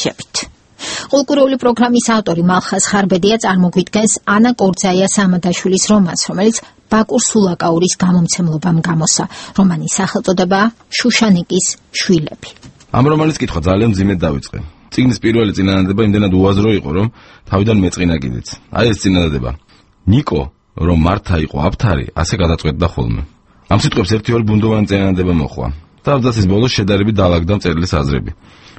თამაშებით. კულტურული პროგრამის ავტორი მალხაზ ხარბედია წარმოგვიდგენს ანა კორძაია სამადაშვილის რომანს, რომელიც ბაკურ სულაკაურის გამომცემლობამ გამოსცა. რომანის სახელწოდებაა შუშანიკის შვილები. ამ რომანის კითხვა ძალიან მძიმედ დავიწყე. წიგნის პირველი წინადადება იმდენად უაზრო იყო, რომ თავიდან მეწყინა კიდეც. აი ეს წინადადება. ნიკო, რომ მართა იყო აფთარი, ასე გადაწყვეტდა ხოლმე. ამ სიტყვებს ერთი-ორი ბუნდოვანი წინადადება მოხვა. თავდაცვის ბოლოს შედარებით დაალაგდა მწერლის აზრები.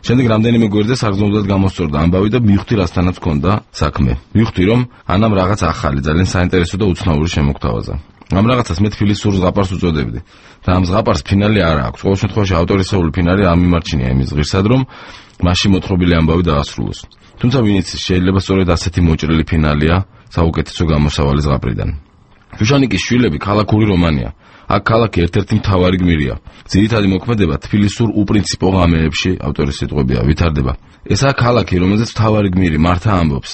შემდეგ რამდენიმე გვერდზე საგრძნობლად გამოსწორდა ამბავი და მივხვდი რასთანაც ჰქონდა საქმე. მივხვდი, რომ ანამ რაღაც ახალი, ძალიან საინტერესო და უცნაური შემოგთავაზა. ამ რაღაცას მე თბილის სურ ზღაპარს უწოდებდი. და ამ ზღაპარს ფინალი არ აქვს. ყოველ შემთხვევაში ავტორისეული ფინალი არ მიმარჩინია იმის ღირსად, რომ მასში მოთხრობილი ამბავი დაასრულოს. თუმცა ვინც შეიძლება სწორედ ასეთი მოჭრილი ფინალია საუკეთესო გამოსავალი ზღაპრიდან. შუშანიკის შვილები ქალაქური რომანია. აქ ქალაქი ერთ-ერთი მთავარი გმირია. ძირითადი მოქმედება თბილისურ უპრინციპო ღამეებში ავტორის სიტყვებია ვითარდება. ესაა ქალაქი, რომელზეც მთავარი გმირი მართა ამბობს.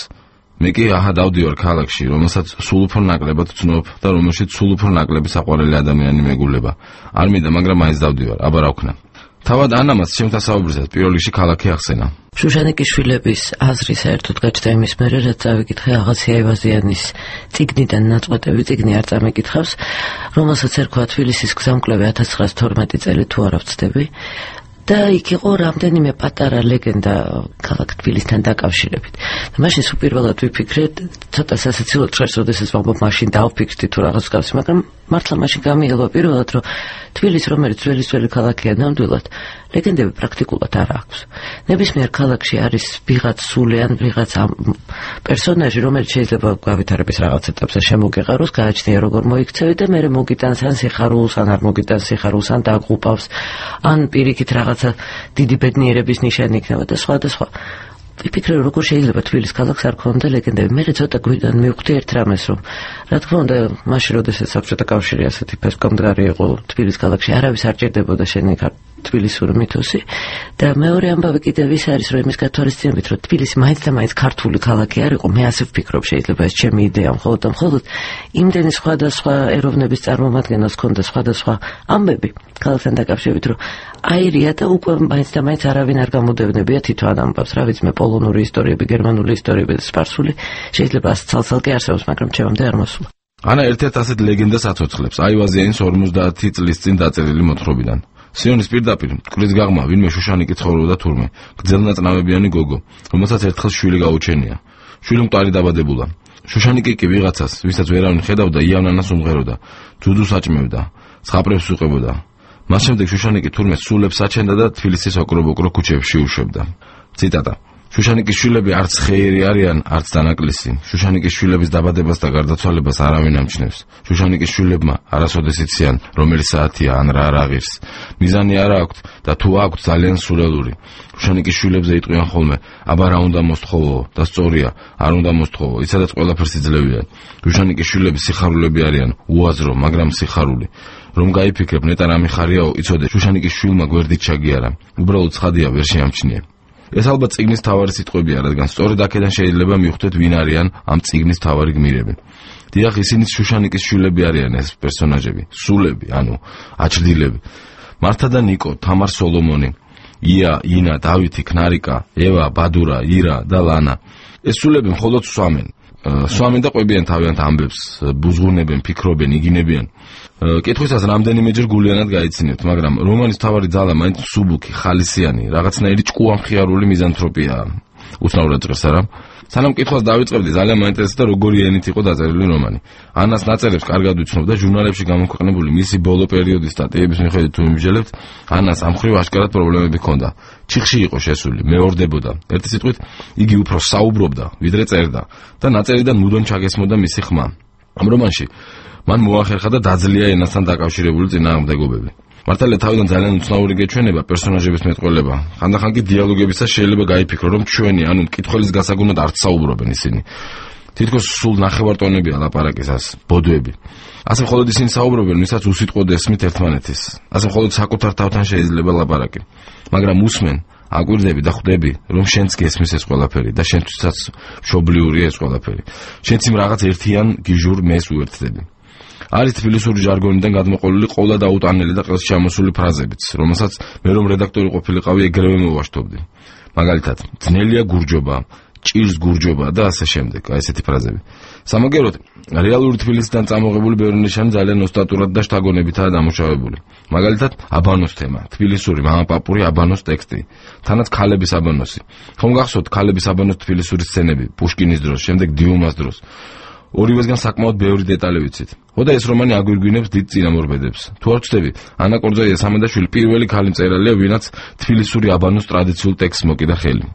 მე კი აჰა დავდივარ ქალაქში, რომელსაც სულ უფრო ნაკლებად ვცნობ და რომელშიც სულ უფრო ნაკლები საყვარელი ადამიანი მეგულება. არ მინდა, მაგრამ მაინც დავდივარ, აბა რა ვქნა. თავად ანამაც შემთასაუბრისას პირველ რიგში ქალაქი ახსენა. შუშანიკის შვილების აზრი საერთოდ გაჩნდა იმის მერე, რაც წავიკითხე აღაცია ევაზიანის წიგნიდან ნაწყვეტები, წიგნი არ წამეკითხავს, რომელსაც ერქვა თბილისის გზამკვლევი 1912 წელი თუ არა ვცდები. და იქ იყო რამდენიმე პატარა ლეგენდა ქალაქ თბილისთან დაკავშირებით. და მაშინ უპირველად ვიფიქრე, ცოტა სასაცილოდ ჭრეს, როდესაც ვამბობ, მაშინ დავფიქრდი თუ რაღაც გავსი, მაგრამ მართლა მაშინ გამიელვა პირველად, რომ თბილისი, რომელიც ძველი ქალაქია ნამდვილად, ლეგენდები პრაქტიკულად არ აქვს. ნებისმიერ ქალაქში არის ვიღაც სული ან ვიღაც პერსონაჟი, რომელიც შეიძლება გავითარების რაღაც ეტაპზე შემოგეყაროს, გააჩნია როგორ მოიქცევი და მერე მოგიტანს ან სიხარულს, ან არ მოგიტანს სიხარულს, ან დაგღუპავს, ან პირიქით რაღაცა დიდი ბედნიერების ნიშანი იქნება და სხვა და სხვა. ვიფიქრე, როგორ შეიძლება თბილის ქალაქს არ ქონდა ლეგენდები. მე ცოტა გვიდან მივხვდი ერთ რამეს, რომ რა თქმა უნდა, მაშინ როდესაც საბჭოთა კავშირი ასეთი ფესკომდგარი იყო თბილის ქალაქში, არავის არ ჭირდებოდა შენი თბილისური მითოსი და მეორე ამბავი კიდევ ის არის, რომ იმის გათვალისწინებით, რომ თბილისი მაინც და მაინც ქართული ქალაქი არ იყო, მე ასე ვფიქრობ, შეიძლება ეს ჩემი იდეა მხოლოდ და მხოლოდ იმდენი სხვადასხვა ეროვნების წარმომადგენელს ქონდა სხვადასხვა ამბები ქალაქთან დაკავშირებით, რომ აირია და უკვე მაინც და მაინც არავინ არ გამოდევნებია თვითონ ამბავს, რა ვიცი, მე პოლონური ისტორიები, გერმანული ისტორიები და სპარსული შეიძლება ცალ-ცალკე არსებობს, მაგრამ ჩემამდე არ მოსულა. ანა ერთ-ერთ ასეთ ლეგენდას აცოცხლებს აივაზიანის 50 წლის წინ დაწერილი მოთხრობიდან. სიონის პირდაპირ მტკვრის გაღმა ვინმე შუშანიკი ცხოვრობდა თურმე, გრძელნაწნავებიანი გოგო, რომელსაც ერთხელ შვილი გაუჩენია. შვილი მკვდარი დაბადებულა. შუშანიკი კი ვიღაცას, ვისაც ვერავინ ხედავდა, იანანას უმღეროდა, ძუძუს აჭმევდა, ცხაპრებს უყებოდა. მას შემდეგ შუშანიკი თურმე სულებს აჩენდა და თბილისის ოკრო-ბოკრო ქუჩებში უშვებდა. ციტატა: შუშანიკის შვილები არც ხეირი არიან, არც დანაკლისი. შუშანიკის შვილების დაბადებას და გარდაცვალებას არავინ ამჩნევს. შუშანიკის შვილებმა არასოდეს იციან, რომელი საათია ან რა აღირს. მიზანი არ აქვთ და თუ აქვთ, ძალიან სულელური. შუშანიკის შვილებზე იტყვიან ხოლმე, აბა რა უნდა მოსთხოვო და სწორია, არ უნდა მოსთხოვო, იცადაც ყველაფერს იძლევიან. შუშანიკის შვილები სიხარულები არიან, უაზრო, მაგრამ სიხარული. რომ გაიფიქრებ, ნეტარ ამიხარიაო, იცოდე, შუშანიკის შვილმა გვერდით ჩაგიარა. უბრალოდ ცხადია, ვერ შეამჩნია. ეს ალბათ წიგნის თავარი სიტყვებია, რადგან სწორედ აქედან შეიძლება მივხვდეთ, ვინ არიან ამ წიგნის თავარი გმირები. დიახ, ისინი შუშანიკის შვილები არიან ეს პერსონაჟები, სულები, ანუ აჩრდილები. მართა და ნიკო, თამარ სოლომონი, ია, ინა, დავითი, ქნარიკა, ევა, ბადურა, ირა და ლანა. ეს სულები მხოლოდ სვამენ და ყვებიან თავიანთ ამბებს, ბუზღუნებენ, ფიქრობენ, იგინებიან. კითხვისას რამდენიმეჯერ გულიანად გაიცინებთ, მაგრამ რომანის თავარი ძალა მაინც სუბუქი, ხალისიანი, რაღაცნაირი ჭკუამხიარული მიზანთროპიაა. უცნაურად ჭრეს არა? სანამ კითხვას დავიწყებდი, ძალიან მაინტერესდა როგორი ენით იყო დაწერილი რომანი. ანას ნაწერებს კარგად ვიცნობ და ჟურნალებში გამოქვეყნებული მისი ბოლო პერიოდის სტატიების მიხედვით თუ მიმსჯელებთ, ანას ამ მხრივ აშკარად პრობლემები ჰქონდა. ჩიხში იყო შესული, მეორდებოდა. ერთი სიტყვით, იგი უფრო საუბრობდა, ვიდრე წერდა და ნაწერიდან მუდმივ ჩაგესმოდა მისი ხმა. ამ რომანში მან მოახერხა და დაძლია ენასთან დაკავშირებული წინააღმდეგობები. მართალია თავიდან ძალიან უცნაური გეჩვენება პერსონაჟების მეტყველება. ხანდახან კი დიალოგებისას შეიძლება გაიფიქრო, რომ ჩვენი, ანუ მკითხველის გასაგონად არ საუბრობენ ისინი. თითქოს სულ ნახევარტონებია ლაპარაკისას, ბოდვები. ასე მხოლოდ ისინი საუბრობენ, ვისაც უსიტყვოდ ესმით ერთმანეთის. ასე მხოლოდ საკუთარ თავთან შეიძლება ლაპარაკი. მაგრამ უსმენ, აკვირდები და ხვდები, რომ შენც გესმის ეს ყველაფერი და შენთვისაც მშობლიურია ეს ყველაფერი. შენც იმ რაღაც ერთიან გიჟურ მეს უერთდები. არის თბილისური ჟარგონიდან გადმოყოლილი ყოლა დაუტანელი და ყელს ჩამოსული ფრაზებიც, რომელსაც მე რომ რედაქტორი ყოფილიყავი ეგრევე მოვაშთობდი. მაგალითად, ძნელია გურჯობა, ჭირს გურჯობა და ასე შემდეგ, აი ესეთი ფრაზები. სამაგეროდ, რეალური თბილისიდან წამოღებული ბევრი ნიშანი ძალიან ოსტატურად და შთაგონებითაა დამუშავებული. მაგალითად, აბანოს თემა, თბილისური მამაპაპური აბანოს ტექსტი, თანაც ქალების აბანოსი. ხომ გახსოვთ ქალების აბანოს თბილისური სცენები, პუშკინის დროს, შემდეგ დიუმას დროს. ორივესგან საკმაოდ ბევრი დეტალი ვიცით. ხო და ეს რომანი აგვირგვინებს დიდ წინამორბედებს. თუ არ ვცდები, ანა კორძაია-სამედაშვილი პირველი ქალი მწერალია, ვინაც თბილისური აბანოს ტრადიციულ ტექსტს მოკიდა ხელი.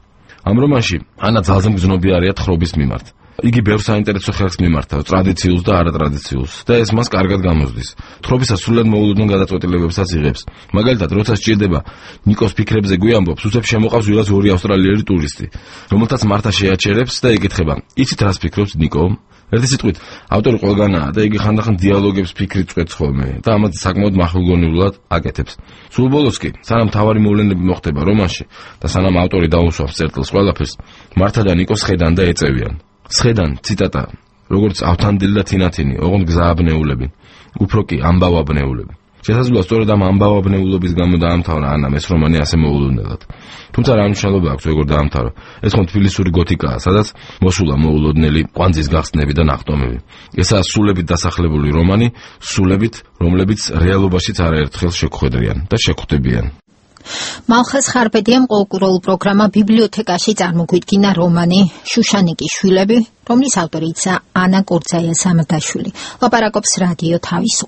ამ რომანში ანა ძალზე მგზნობი არის თხრობის მიმართ. იგი ბევრ საინტერესო ხერხს მიმართავს, ტრადიციულს და არატრადიციულს, და ეს მას კარგად გამოსდის. თხრობისას სრულად მოულოდნელ გადაწყვეტილებებსაც იღებს. მაგალითად, როცა სჭირდება ნიკოს ფიქრებზე გვიამბობს, უსებს შემოყავს ვიღაც ორი ავსტრალიელი ტურისტი, რომელთაც მართა შეაჩერებს და იკითხება: "იცით რას ფიქრობს ნიკო?" ერთი სიტყვით, ავტორი ყველგანაა და იგი ხანდახან დიალოგებს ფიქრით წვეთს ხოლმე და ამათ საკმაოდ მახვილგონივრულად აკეთებს. სულ ბოლოს კი, სანამ თავარი მოვლენები მოხდება რომანში და სანამ ავტორი დაუსვამს წერტილს ყველაფერს, მართა და ნიკო სხედან და ეწევიან. სხედან, ციტატა, როგორც ავთანდილ და თინათინი, ოღონდ გზააბნეულები, უფრო კი ამბავაბნეულები. შესაძლოა სწორედ ამ ამბავაბნეულობის გამო დაამთავრა ანამ ეს რომანი ასე მოულოდნელად. თუმცა რა მნიშვნელობა აქვს როგორ დაამთავრა? ეს ხომ თბილისური გოთიკაა, სადაც მოსულა მოულოდნელი კვანძის გახსნები და ნახტომები. ესაა სულებით დასახლებული რომანი, სულებით, რომლებიც რეალობაშიც არაერთხელ შეგხვედრიან და შეგხვდებიან. მალხაზ ხარბედიამ ყოველკვირეულ პროგრამა ბიბლიოთეკაში წარმოგვიდგინა რომანი შუშანიკის შვილები, რომლის ავტორიც ანა კორძაია-სამედაშვილი. ლაპარაკობს რადიო თავისუფლება.